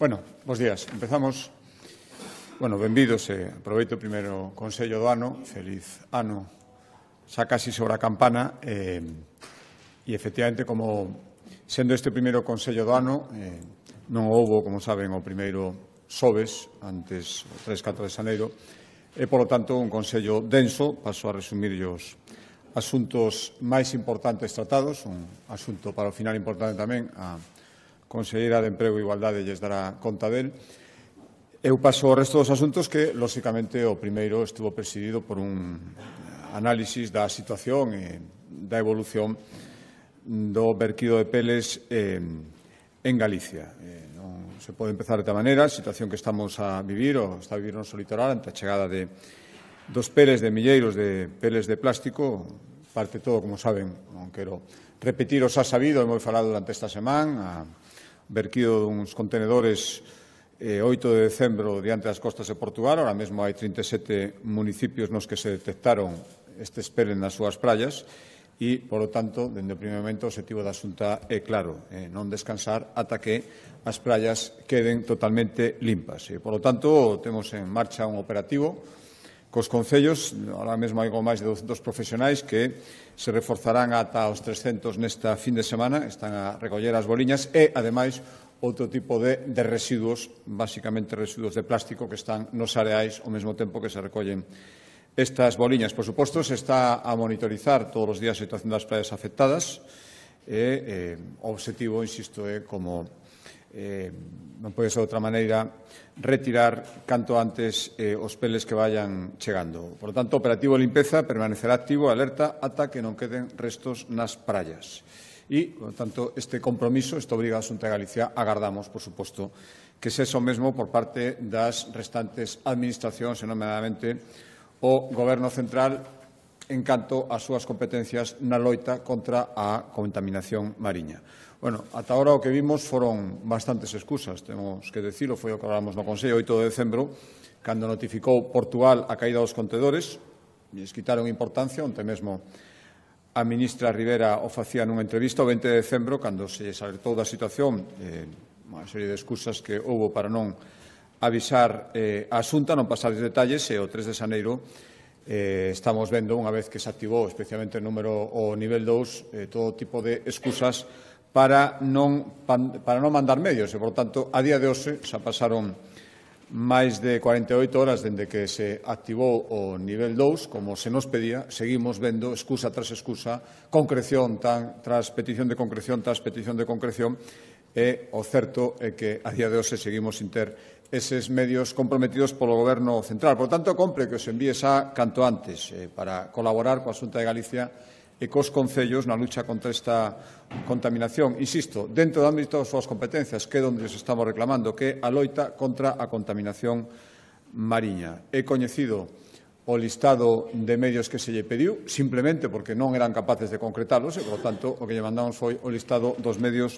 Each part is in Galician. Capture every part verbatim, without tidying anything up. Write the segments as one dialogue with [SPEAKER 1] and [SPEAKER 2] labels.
[SPEAKER 1] Bueno, bos días. Empezamos. Bueno, benvidos e aproveito o primeiro Consello do ano. Feliz ano. Xa casi sobre a campana. E, e efectivamente, como sendo este primeiro Consello do ano, eh, non houbo, como saben, o primeiro xoves, antes o tres e catro de xaneiro, e, polo tanto, un Consello denso. Paso a resumir os asuntos máis importantes tratados, un asunto para o final importante tamén, a Conselleira de Emprego e Igualdade lles dará conta del. Eu paso o resto dos asuntos que, lóxicamente, o primeiro estuvo presidido por un análisis da situación e da evolución do verquido de peles eh, en Galicia. Eh, non se pode empezar de esta maneira, a situación que estamos a vivir, ou está a vivir no noso litoral, ante a chegada de dos peles de milleiros de peles de plástico, parte todo, como saben, non quero repetir o xa sabido, hemos falado durante esta semana, a verquido duns contenedores eh, oito de decembro diante das costas de Portugal. Ahora mesmo hai trinta e sete municipios nos que se detectaron estes peles nas súas praias e, polo tanto, dende o primeiro momento, o objetivo da Xunta é claro, eh, non descansar ata que as praias queden totalmente limpas. E, polo tanto, temos en marcha un operativo cos concellos. Ahora mesmo hai máis de douscentos profesionais que se reforzarán ata os trescentos nesta fin de semana, están a recoller as boliñas e, ademais, outro tipo de, de residuos, basicamente residuos de plástico que están nos areais ao mesmo tempo que se recollen estas boliñas. Por suposto, se está a monitorizar todos os días a situación das praias afectadas e eh, o objetivo, insisto, é como eh, non pode ser de outra maneira retirar canto antes eh, os peles que vayan chegando. Por lo tanto, o operativo de limpeza permanecerá activo e alerta ata que non queden restos nas praias. E, por lo tanto, este compromiso, esta obriga a Xunta de Galicia, agardamos, por suposto, que sexa o mesmo por parte das restantes administracións, e nomeadamente o Goberno Central, en canto ás súas competencias na loita contra a contaminación mariña. Bueno, ata agora o que vimos foron bastantes excusas, temos que decirlo, foi o que falamos no Consello oito de decembro, cando notificou Portugal a caída dos contedores, e les quitaron importancia, onte mesmo a ministra Rivera o facía nunha entrevista o vinte de decembro, cando se les alertou da situación, eh, unha serie de excusas que houbo para non avisar eh, a Xunta, non pasar os detalles, e o tres de xaneiro eh, estamos vendo, unha vez que se activou especialmente o número o nivel dous, eh, todo tipo de excusas para non, para non mandar medios. E, por tanto, a día de hoxe xa pasaron máis de cuarenta e oito horas dende que se activou o nivel dous, como se nos pedía, seguimos vendo excusa tras excusa, concreción tan, tras petición de concreción tras petición de concreción, e o certo é que a día de hoxe seguimos sin ter eses medios comprometidos polo Goberno Central. Por tanto, compre que os envíe xa canto antes eh, para colaborar coa Xunta de Galicia e cos concellos na lucha contra esta contaminación. Insisto, dentro do ámbito das súas competencias, que é onde os estamos reclamando, que é a loita contra a contaminación mariña. É coñecido o listado de medios que se lle pediu, simplemente porque non eran capaces de concretalos, e, por tanto, o que lle mandamos foi o listado dos medios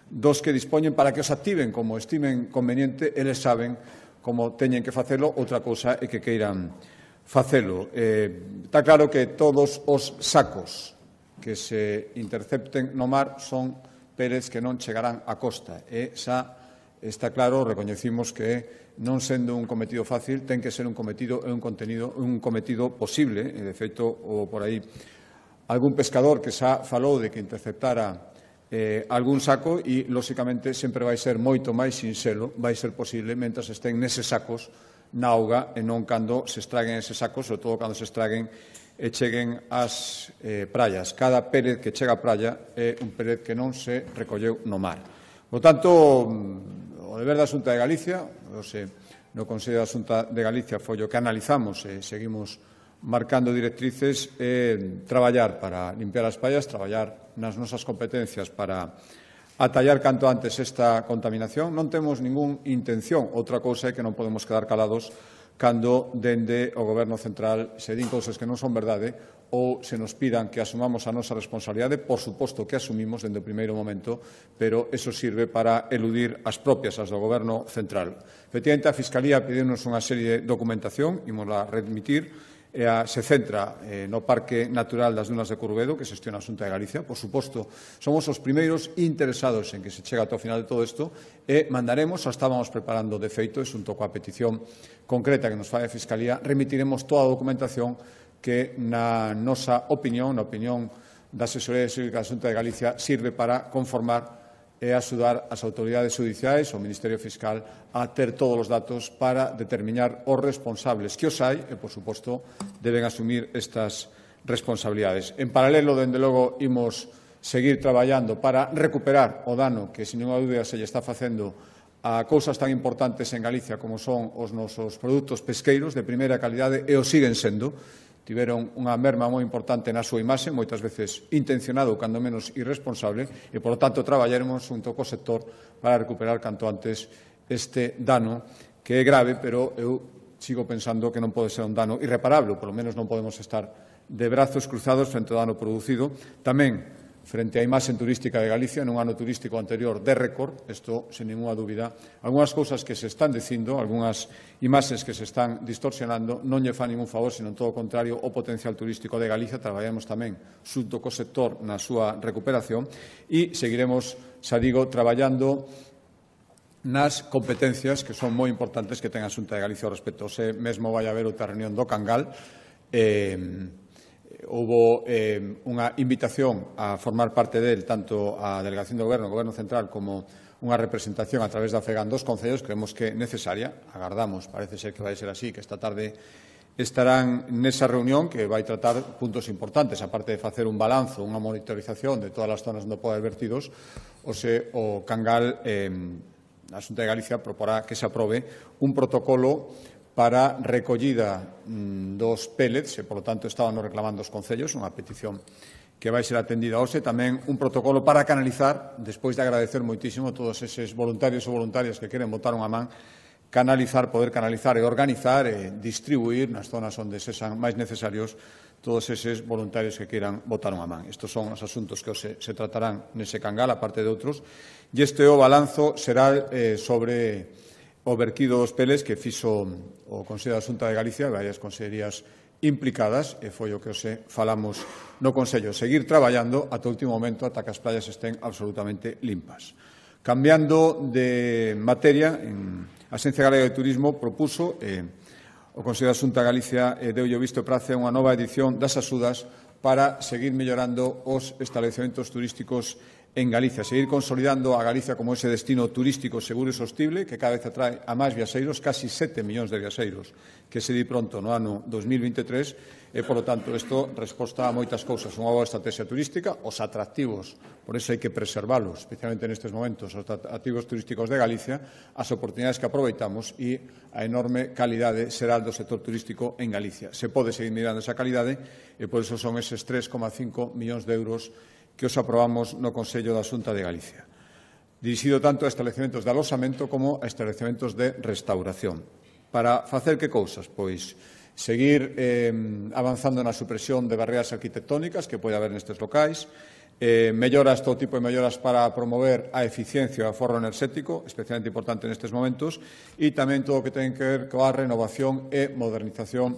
[SPEAKER 1] dos que dispoñen para que os activen como estimen conveniente. Eles saben como teñen que facelo, outra cousa é que queiran facelo. Eh, está claro que todos os sacos que se intercepten no mar son peles que non chegarán á costa. E xa está claro, recoñecimos que non sendo un cometido fácil, ten que ser un cometido e un contenido, un cometido posible. E, de feito, ou por aí algún pescador que xa falou de que interceptara Eh, algún saco e, lóxicamente, sempre vai ser moito máis sinxelo, vai ser posible, mentras estén neses sacos na auga e non cando se estraguen eses sacos, sobre todo cando se estraguen e cheguen ás eh, praias. Cada pérez que chega á praia é un pérez que non se recolleu no mar. Por tanto, o deber da Xunta de Galicia, se, no Consello da Xunta de Galicia foi o que analizamos e seguimos marcando directrices, é traballar para limpiar as praias, traballar nas nosas competencias para atallar canto antes esta contaminación. Non temos ningún intención. Outra cousa é que non podemos quedar calados cando dende o Goberno Central se din cousas que non son verdade ou se nos pidan que asumamos a nosa responsabilidade. Por suposto que asumimos dende o primeiro momento, pero eso sirve para eludir as propias, as do Goberno Central. Efectivamente, a Fiscalía pediunos unha serie de documentación, imos a remitir, e a, se centra eh, no Parque Natural das Dunas de Curvedo, que xestiona a Xunta de Galicia. Por suposto, somos os primeiros interesados en que se chegue ata o final de todo isto e mandaremos, xa estábamos preparando de feito, e xunto coa petición concreta que nos fai a Fiscalía, remitiremos toda a documentación que, na nosa opinión, na opinión da Asesoría Xurídica da Xunta de Galicia, sirve para conformar e axudar as autoridades judiciais, o Ministerio Fiscal, a ter todos os datos para determinar os responsables que os hai e, por suposto, deben asumir estas responsabilidades. En paralelo, dende logo, imos seguir traballando para recuperar o dano que, sin ninguna dúbida, se lle está facendo a cousas tan importantes en Galicia como son os nosos produtos pesqueiros de primeira calidade e o siguen sendo. Tiveron unha merma moi importante na súa imaxe, moitas veces intencionado ou, cando menos, irresponsable, e, por lo tanto, traballaremos junto co sector para recuperar canto antes este dano, que é grave, pero eu sigo pensando que non pode ser un dano irreparable, ou, polo menos, non podemos estar de brazos cruzados frente ao dano producido. Tamén, frente á imaxe turística de Galicia, nun ano turístico anterior de récord, isto, sen ninguna dúbida, algunhas cousas que se están dicindo, algunhas imaxes que se están distorsionando, non lle fan ningún favor, sino todo o contrario, o potencial turístico de Galicia. Traballamos tamén xunto co sector na súa recuperación e seguiremos, xa digo, traballando nas competencias que son moi importantes que ten a Xunta de Galicia ao respecto. Se mesmo vai haber outra reunión do Cangal, eh, houbo eh, unha invitación a formar parte del tanto a Delegación do Goberno, o Goberno Central, como unha representación a través da FEGAN dos concellos. Creemos que é necesaria, agardamos, parece ser que vai ser así, que esta tarde estarán nesa reunión que vai tratar puntos importantes, aparte de facer un balanzo, unha monitorización de todas as zonas onde pode haber vertidos. O se o Cangal, eh, a Xunta de Galicia proporá que se aprobe un protocolo para recollida dos pellets, e, polo tanto, estábamos reclamando os concellos, unha petición que vai ser atendida hoxe, tamén un protocolo para canalizar, despois de agradecer moitísimo a todos eses voluntarios ou voluntarias que queren botar unha man, canalizar, poder canalizar e organizar e distribuir nas zonas onde sexan máis necesarios todos eses voluntarios que queiran botar unha man. Estes son os asuntos que se, se tratarán nese Cangal, aparte de outros, e este o balanzo será eh, sobre o vertido dos peles que fixo o Consello da Xunta de Galicia, varias consellerías implicadas, e foi o que hoxe falamos no Consello. Seguir traballando ata o último momento, ata que as playas estén absolutamente limpas. Cambiando de materia, en a Axencia Galega de Turismo propuso, eh, o Consello da Xunta de Galicia eh, deulle o visto e prace unha nova edición das axudas para seguir mellorando os establecementos turísticos en Galicia, seguir consolidando a Galicia como ese destino turístico seguro e sostible que cada vez atrae a máis viaxeiros, casi sete millóns de viaxeiros, que se di pronto no ano dos mil vinte e tres, e, polo tanto, isto resposta a moitas cousas. Unha boa estrategia turística, os atractivos, por iso hai que preservalos, especialmente nestes momentos, os atractivos turísticos de Galicia, as oportunidades que aproveitamos e a enorme calidade será do sector turístico en Galicia. Se pode seguir mirando esa calidade e, por iso, son eses tres coma cinco millóns de euros que os aprobamos no Consello da Xunta de Galicia, dirixido tanto a establecementos de aloxamento como a establecementos de restauración. Para facer que cousas? Pois seguir eh, avanzando na supresión de barreras arquitectónicas que pode haber nestes locais, eh, melloras, todo tipo de melloras para promover a eficiencia e o aforro enerxético, especialmente importante nestes momentos, e tamén todo o que ten que ver coa renovación e modernización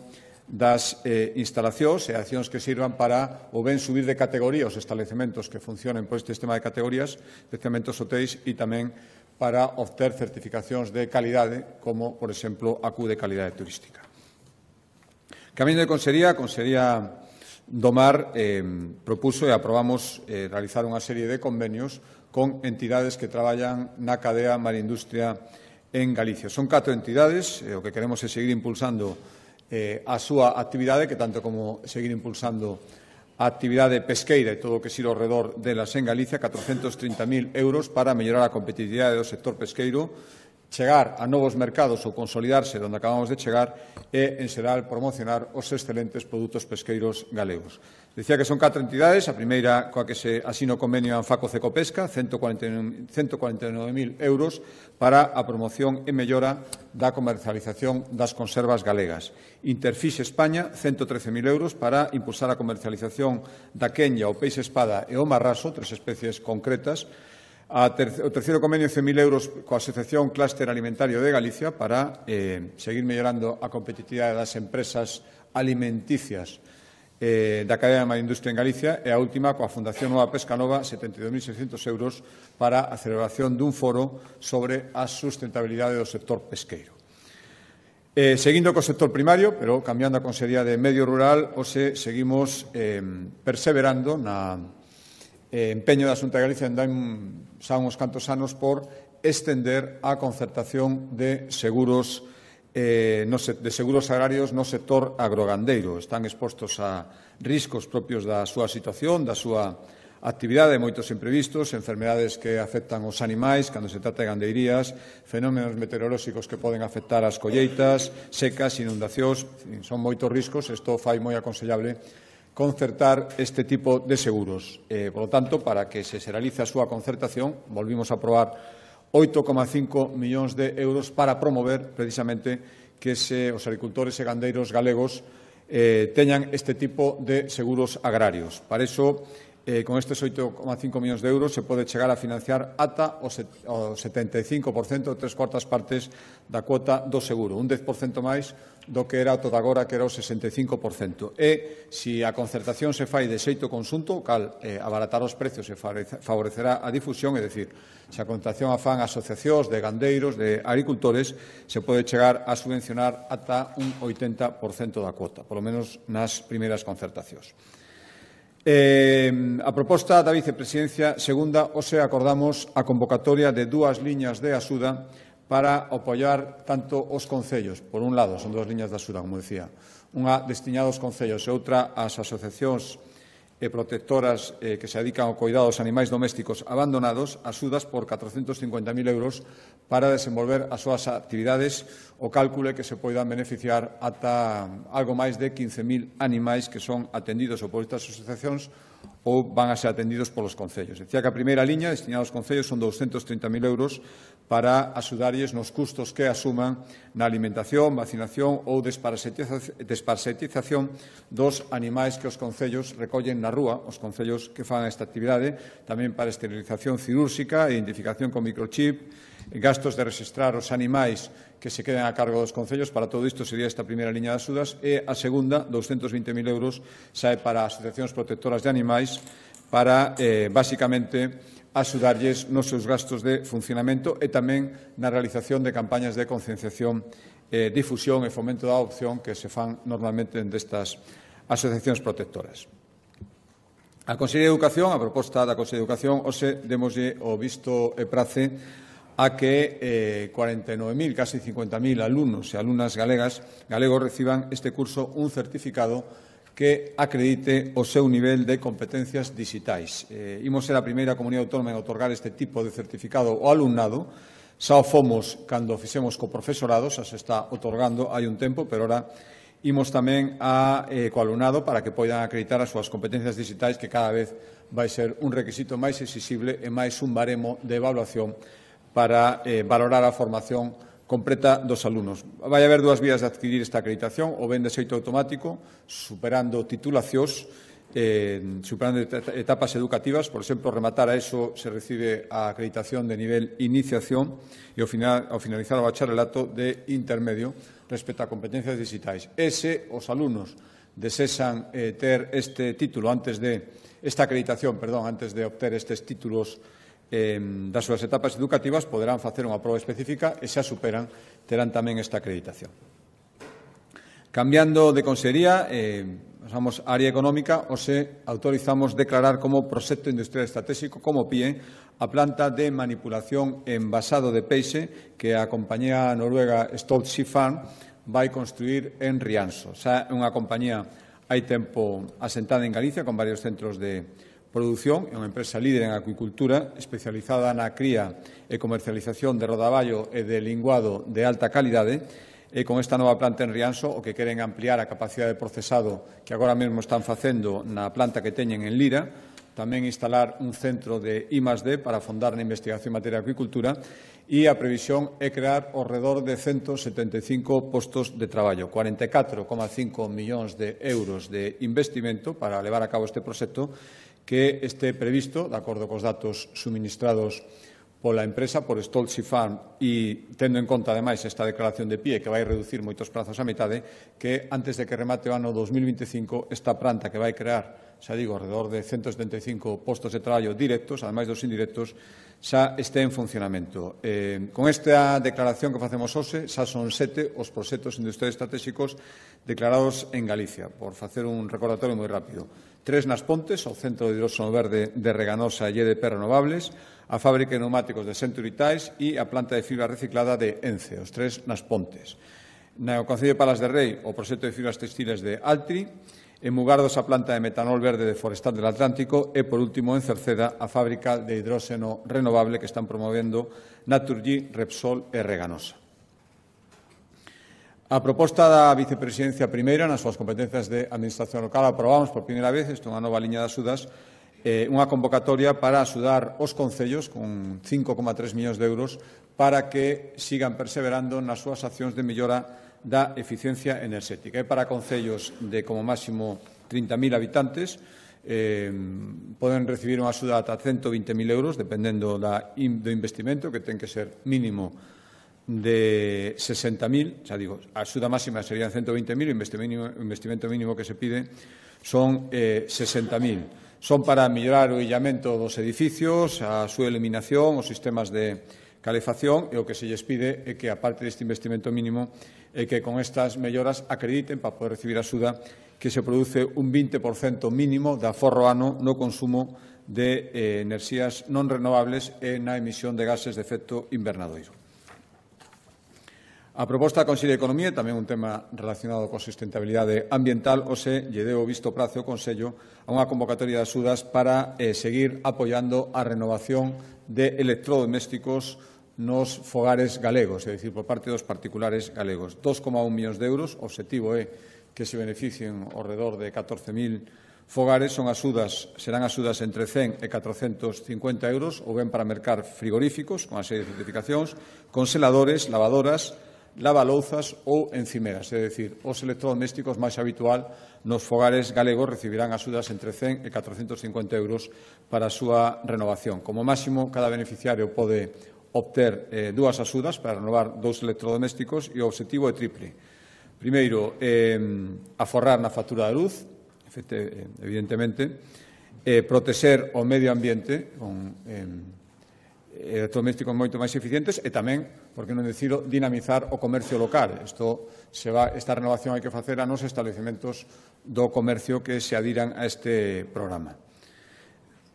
[SPEAKER 1] das eh, instalacións e accións que sirvan para o ben subir de categoría os establecementos que funcionen por este sistema de categorías, especialmente os hotéis, e tamén para obter certificacións de calidade, como, por exemplo, a Q de calidade turística. Camiño de Consellería, a Consellería do Mar eh, propuso e aprobamos eh, realizar unha serie de convenios con entidades que traballan na cadea marindustria en Galicia. Son catro entidades, e o que queremos é seguir impulsando Eh, a súa actividade, que tanto como seguir impulsando a actividade pesqueira e todo o que xira ao redor delas en Galicia, catrocentos trinta mil euros para mellorar a competitividade do sector pesqueiro, chegar a novos mercados ou consolidarse onde acabamos de chegar e, en xeral, promocionar os excelentes produtos pesqueiros galegos. Dicía que son catro entidades, a primeira coa que se asina o convenio Anfaco Cecopesca, ciento cuarenta e nove mil euros para a promoción e mellora da comercialización das conservas galegas. Interfixe España, ciento trece mil euros para impulsar a comercialización da quenya, o peixe espada e o marraso, tres especies concretas. A ter o terceiro convenio, cen mil euros coa Asociación Clúster Alimentario de Galicia para eh, seguir mellorando a competitividade das empresas alimenticias eh, da cadea da industria en Galicia, e a última coa Fundación Nova Pesca Nova, setenta e dous mil seiscentos euros para a celebración dun foro sobre a sustentabilidade do sector pesqueiro. Eh, seguindo co sector primario, pero cambiando a Consellería de Medio Rural, hoxe seguimos eh, perseverando na eh, empeño da Xunta de Galicia en dan xa uns cantos anos por estender a concertación de seguros eh, no, de seguros agrarios no sector agrogandeiro. Están expostos a riscos propios da súa situación, da súa actividade, moitos imprevistos, enfermedades que afectan os animais cando se trata de gandeirías, fenómenos meteorolóxicos que poden afectar as colleitas, secas, inundacións, son moitos riscos. Isto fai moi aconsellable concertar este tipo de seguros. Eh, por lo tanto, para que se realice a súa concertación, volvimos a aprobar oito coma cinco millóns de euros para promover precisamente que se, os agricultores e gandeiros galegos eh, teñan este tipo de seguros agrarios. Para iso, eh, con estes oito coma cinco millóns de euros se pode chegar a financiar ata o setenta e cinco por cento, tres cuartas partes da cuota do seguro, un dez por cento máis do que era todo agora, que era o sesenta e cinco por cento. E, se a concertación se fai de xeito conxunto, o cal eh, abaratar os precios e favorecerá a difusión, é dicir, se a concertación a fan asociacións de gandeiros, de agricultores, se pode chegar a subvencionar ata un oitenta por cento da cuota, polo menos nas primeiras concertacións. Eh, a proposta da vicepresidencia segunda, hoxe acordamos a convocatoria de dúas liñas de axuda para apoiar tanto os concellos. Por un lado, son dúas liñas de axuda, como decía, unha destinada aos concellos e outra ás asociacións e protectoras eh, que se dedican ao cuidado dos animais domésticos abandonados, axudas por catrocentos cincuenta mil euros para desenvolver as súas actividades. O cálculo é que se poidan beneficiar ata algo máis de quince mil animais que son atendidos ou por estas asociacións ou van a ser atendidos polos concellos. Decía que a primeira liña destinada aos concellos son douscentos trinta mil euros para axudarlles nos custos que asuman na alimentación, vacinación ou desparasitización dos animais que os concellos recollen na rúa, os concellos que fan esta actividade, tamén para esterilización cirúrxica, identificación con microchip, gastos de registrar os animais que se queden a cargo dos concellos. Para todo isto sería esta primeira liña de axudas, e a segunda, douscentos vinte mil euros, sae para asociacións protectoras de animais para, eh, basicamente, axudarlles nos seus gastos de funcionamento e tamén na realización de campañas de concienciación, eh, difusión e fomento da adopción que se fan normalmente destas asociacións protectoras. A Consellería de Educación, a proposta da Consellería de Educación, hoxe demoslle o visto e prace a que eh, cuarenta e nove mil, casi cincuenta mil alumnos e alumnas galegas, galegos reciban este curso un certificado que acredite o seu nivel de competencias digitais. Eh, imos ser a primeira comunidade autónoma en otorgar este tipo de certificado ao alumnado. Xa o fomos cando fixemos co profesorado, xa se está otorgando hai un tempo, pero ora imos tamén a, eh, co alumnado para que poidan acreditar as súas competencias digitais, que cada vez vai ser un requisito máis exixible e máis un baremo de evaluación para eh, valorar a formación completa dos alumnos. Vai haber dúas vías de adquirir esta acreditación, ou ben de xeito automático, superando titulacións, eh, superando etapas educativas. Por exemplo, rematar a eso se recibe a acreditación de nivel iniciación e ao, final, ao finalizar o bacharelato de intermedio respecto a competencias digitais. E se os alumnos desesan eh, ter este título antes de, esta acreditación, perdón, antes de obter estes títulos Eh, das súas etapas educativas, poderán facer unha proba específica e, se a superan, terán tamén esta acreditación. Cambiando de consellería, eh, pasamos á área económica, hoxe autorizamos declarar como proxecto industrial estratégico, como P I E, a planta de manipulación e envasado de peixe que a compañía noruega Stolt Sea Farm vai construir en Rianxo. Xa é unha compañía hai tempo asentada en Galicia, con varios centros de produción, é unha empresa líder en acuicultura, especializada na cría e comercialización de rodaballo e de linguado de alta calidade, e con esta nova planta en Rianxo o que queren ampliar a capacidade de procesado que agora mesmo están facendo na planta que teñen en Lira, tamén instalar un centro de I más D para afondar na investigación en materia de acuicultura, e a previsión é crear ao redor de ciento setenta e cinco postos de traballo, cuarenta e catro coma cinco millóns de euros de investimento para levar a cabo este proxecto, que este previsto, de acordo cos datos suministrados pola empresa, por Stoltz Farm, e tendo en conta, ademais, esta declaración de pie que vai reducir moitos prazos a metade, que antes de que remate o ano dos mil veinticinco, esta planta que vai crear, xa digo, alrededor de ciento setenta e cinco postos de traballo directos, ademais dos indirectos, xa este en funcionamento. Eh, con esta declaración que facemos hoxe, xa son sete os proxectos industriais estratégicos declarados en Galicia, por facer un recordatorio moi rápido. Tres nas Pontes, o Centro de Hidróxeno Verde de Reganosa e E D P Renovables, a fábrica de neumáticos de Century Tyres e a planta de fibra reciclada de Ence, os tres nas Pontes. No Concello de Palas de Rei, o proxecto de fibras textiles de Altri, en Mugardos a planta de metanol verde de Forestal del Atlántico e, por último, en Cerceda, a fábrica de hidróxeno renovable que están promovendo Naturgy, Repsol e Reganosa. A proposta da vicepresidencia primeira nas súas competencias de administración local aprobamos por primeira vez, isto é unha nova liña de axudas, eh, unha convocatoria para axudar os concellos con cinco coma tres millóns de euros para que sigan perseverando nas súas accións de mellora da eficiencia enerxética. É para concellos de como máximo trinta mil habitantes, eh, poden recibir unha axuda ata ciento vinte mil euros, dependendo da, do investimento, que ten que ser mínimo de sesenta mil, xa digo, a axuda máxima serían ciento vinte mil, o investimento mínimo que se pide son eh, sesenta mil. Son para mellorar o illamento dos edificios, a súa eliminación, os sistemas de calefacción, e o que se lles pide é que, aparte deste investimento mínimo, é que con estas melloras acrediten para poder recibir axuda que se produce un vinte por cento mínimo de aforro ano no consumo de eh, enerxías non renovables e na emisión de gases de efecto invernadoiro. A proposta da Consello de Economía, tamén un tema relacionado coa sustentabilidade ambiental, o se lle deu visto prazo ao Consello a unha convocatoria de axudas para eh, seguir apoiando a renovación de electrodomésticos nos fogares galegos, é dicir, por parte dos particulares galegos. dos coma un millóns de euros, o obxectivo é que se beneficien ao redor de catorce mil fogares, son axudas, serán axudas entre cen e catrocentos cincuenta euros, ou ben para mercar frigoríficos, con a serie de certificacións, congeladores, lavadoras, lavalouzas ou encimeras, é dicir, os electrodomésticos máis habitual nos fogares galegos recibirán axudas entre cen e catrocentos cincuenta euros para a súa renovación. Como máximo, cada beneficiario pode obter eh, dúas axudas para renovar dous electrodomésticos e o obxectivo é triple. Primeiro, eh, aforrar na factura da luz, evidentemente, eh, protexer o medio ambiente con eh, electrodomésticos moito máis eficientes e tamén, por que non dicilo, dinamizar o comercio local. Isto se va, esta renovación hai que facer a nos establecementos do comercio que se adiran a este programa.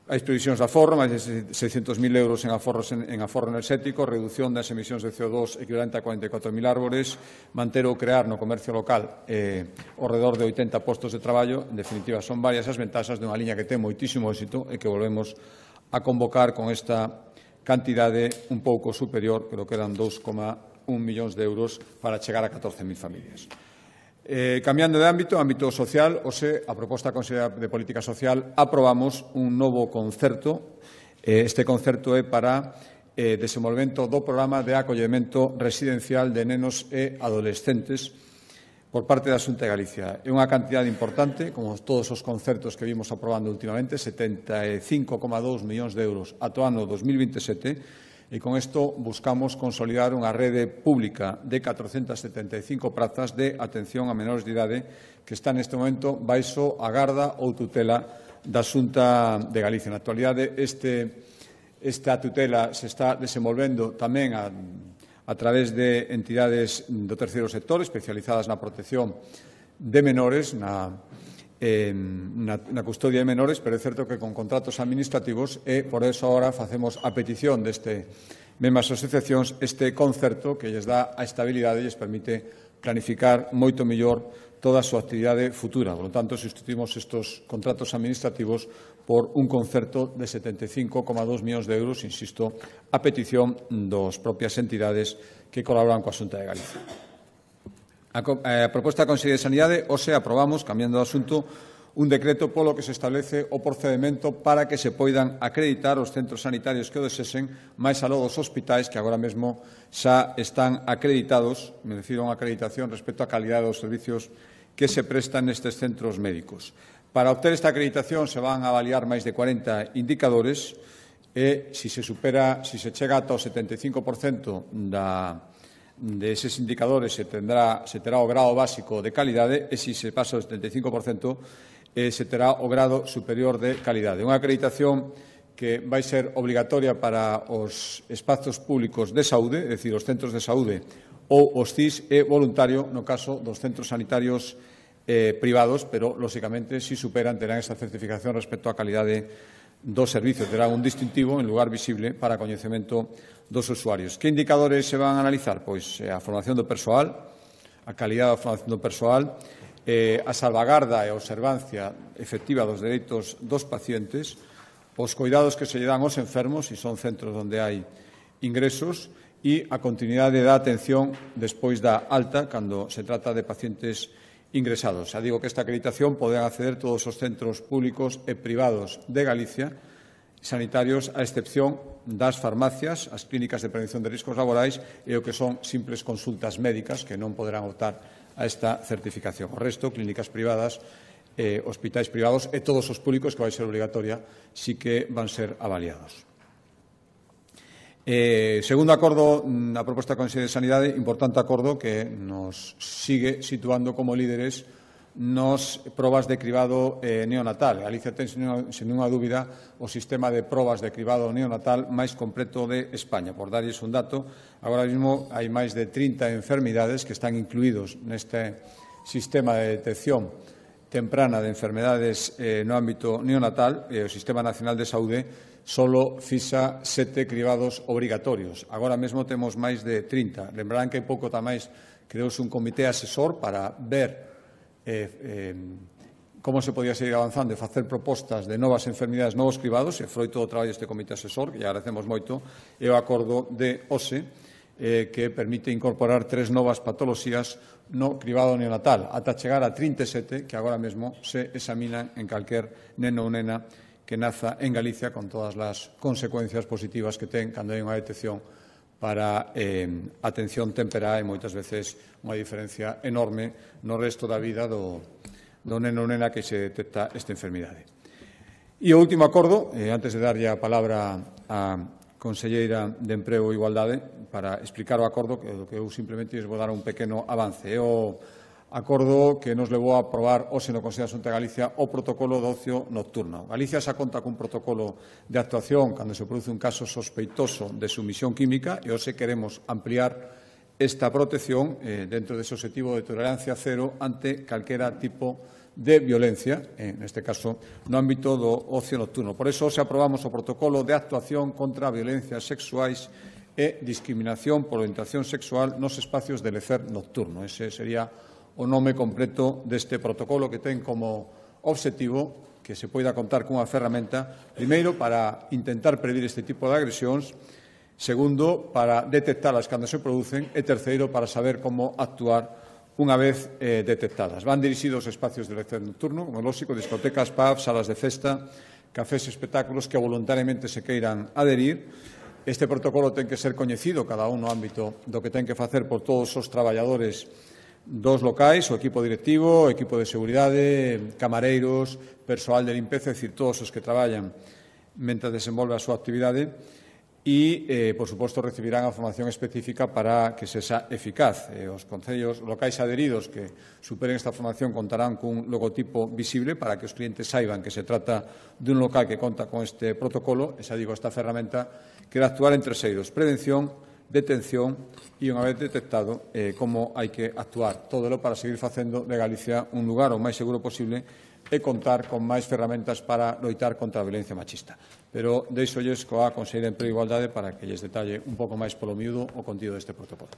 [SPEAKER 1] Hai previsións de aforro, máis de seiscentos mil euros en, aforros en, en aforro enerxético, reducción das emisións de C O dos equivalente a cuarenta e catro mil árbores, manter ou crear no comercio local eh, ao redor de oitenta postos de traballo. En definitiva, son varias as ventaxas dunha liña que ten moitísimo éxito e que volvemos a convocar con esta cantidade un pouco superior, creo que eran dos coma un millóns de euros para chegar a catorce mil familias. Eh, cambiando de ámbito, ámbito social, hoxe, a proposta da Consellería de Política Social, aprobamos un novo concerto. Eh, este concerto é para eh, desenvolvemento do programa de acollemento residencial de nenos e adolescentes por parte da Xunta de Galicia. É unha cantidade importante, como todos os concertos que vimos aprobando últimamente, setenta e cinco coma dous millóns de euros ata o ano dos mil veintisiete, e con isto buscamos consolidar unha rede pública de catrocentas setenta e cinco prazas de atención a menores de idade que está neste momento baixo a garda ou tutela da Xunta de Galicia. Na actualidade, este, esta tutela se está desenvolvendo tamén a a través de entidades do terceiro sector especializadas na protección de menores, na, eh, na, na custodia de menores, pero é certo que con contratos administrativos e, por eso, agora facemos a petición deste mesmas asociacións este concerto que lles dá a estabilidade e lles permite planificar moito mellor toda a súa actividade futura. Por lo tanto, sustituimos estes contratos administrativos por un concerto de setenta e cinco coma dous millóns de euros, insisto, a petición das propias entidades que colaboran coa Xunta de Galicia. A, a proposta da Consellería de Sanidade, hoxe aprobamos, cambiando de asunto, un decreto polo que se establece o procedimento para que se poidan acreditar os centros sanitarios que o desesen máis aló dos hospitais que agora mesmo xa están acreditados, me refiro a unha acreditación respecto á calidade dos servicios que se prestan nestes centros médicos. Para obter esta acreditación se van a avaliar máis de cuarenta indicadores e, se se supera, se se chega ata o setenta e cinco por cento da, de eses indicadores se, tendrá, se terá o grado básico de calidade e, se se pasa o setenta e cinco por cento, eh, se terá o grado superior de calidade. Unha acreditación que vai ser obligatoria para os espazos públicos de saúde, é dicir, os centros de saúde ou os C I S, e voluntario no caso dos centros sanitarios eh, privados, pero, lóxicamente, se superan, terán esa certificación respecto á calidade do servicio, terán un distintivo en lugar visible para coñecemento dos usuarios. Que indicadores se van a analizar? Pois a formación do persoal, a calidade da formación do persoal, eh, a salvagarda e a observancia efectiva dos dereitos dos pacientes, os cuidados que se lle dan aos enfermos, e son centros onde hai ingresos, e a continuidade da atención despois da alta, cando se trata de pacientes ingresados. Xa digo que esta acreditación poden acceder todos os centros públicos e privados de Galicia, sanitarios, a excepción das farmacias, as clínicas de prevención de riscos laborais e o que son simples consultas médicas que non poderán optar a esta certificación. O resto, clínicas privadas, eh, hospitais privados e todos os públicos, que vai ser obligatoria, sí que van ser avaliados. Eh, segundo acordo, a proposta do Consello de Sanidade, importante acordo que nos sigue situando como líderes nos probas de cribado eh, neonatal. Galicia ten, sen ninguna dúbida, o sistema de probas de cribado neonatal máis completo de España. Por darlles un dato, agora mesmo hai máis de trinta enfermidades que están incluídos neste sistema de detección temprana de enfermedades eh, no ámbito neonatal. E o Sistema Nacional de Saúde solo fixa sete cribados obrigatorios. Agora mesmo temos máis de trinta. Lembrarán que hai pouco tamais creouse un comité asesor para ver eh, eh, como se podía seguir avanzando e facer propostas de novas enfermidades, novos cribados, e froito do traballo deste comité asesor, que lle agradecemos moito, e o acordo de O S E, eh, que permite incorporar tres novas patoloxías no cribado neonatal, ata chegar a trinta e sete que agora mesmo se examinan en calquer neno ou nena que naza en Galicia, con todas as consecuencias positivas que ten cando hai unha detección para eh, atención temperá e moitas veces unha diferencia enorme no resto da vida do, do neno ou nena que se detecta esta enfermidade. E o último acordo, eh, antes de darlle a palabra á Conselleira de Emprego e Igualdade para explicar o acordo, que, que eu simplemente vou dar un pequeno avance. É o acordo que nos levou a aprobar hoxe no Consello da Xunta de Galicia o protocolo de ocio nocturno. Galicia xa conta cun protocolo de actuación cando se produce un caso sospeitoso de sumisión química e hoxe queremos ampliar esta protección eh, dentro dese objetivo de tolerancia cero ante calquera tipo de violencia, en este caso no ámbito do ocio nocturno. Por iso hoxe aprobamos o protocolo de actuación contra violencias sexuais e discriminación por orientación sexual nos espacios de lecer nocturno. Ese sería o nome completo deste protocolo, que ten como obxectivo que se poida contar cunha ferramenta, primeiro, para intentar predir este tipo de agresións, segundo, para detectalas cando se producen, e terceiro, para saber como actuar unha vez eh, detectadas. Van dirixidos aos espacios de lecer nocturno, como lóxico, discotecas, pubs, salas de festa, cafés e espectáculos que voluntariamente se queiran adherir. Este protocolo ten que ser coñecido cada un no ámbito do que ten que facer por todos os traballadores dos locais, o equipo directivo, o equipo de seguridade, camareiros, persoal de limpeza, é dicir, todos os que traballan mentre desenvolve a súa actividade, e, eh, por suposto, recibirán a formación específica para que se xa eficaz. Eh, os concellos locais adheridos que superen esta formación contarán cun logotipo visible para que os clientes saiban que se trata dun local que conta con este protocolo, e xa digo, esta ferramenta que vai actuar en terceiros: prevención, detención e, unha vez detectado, eh, como hai que actuar. Todo lo para seguir facendo de Galicia un lugar o máis seguro posible e contar con máis ferramentas para loitar contra a violencia machista. Pero deixolles coa Conselleira de Emprego e Igualdade para que lles detalle un pouco máis polo miúdo o contido deste protocolo.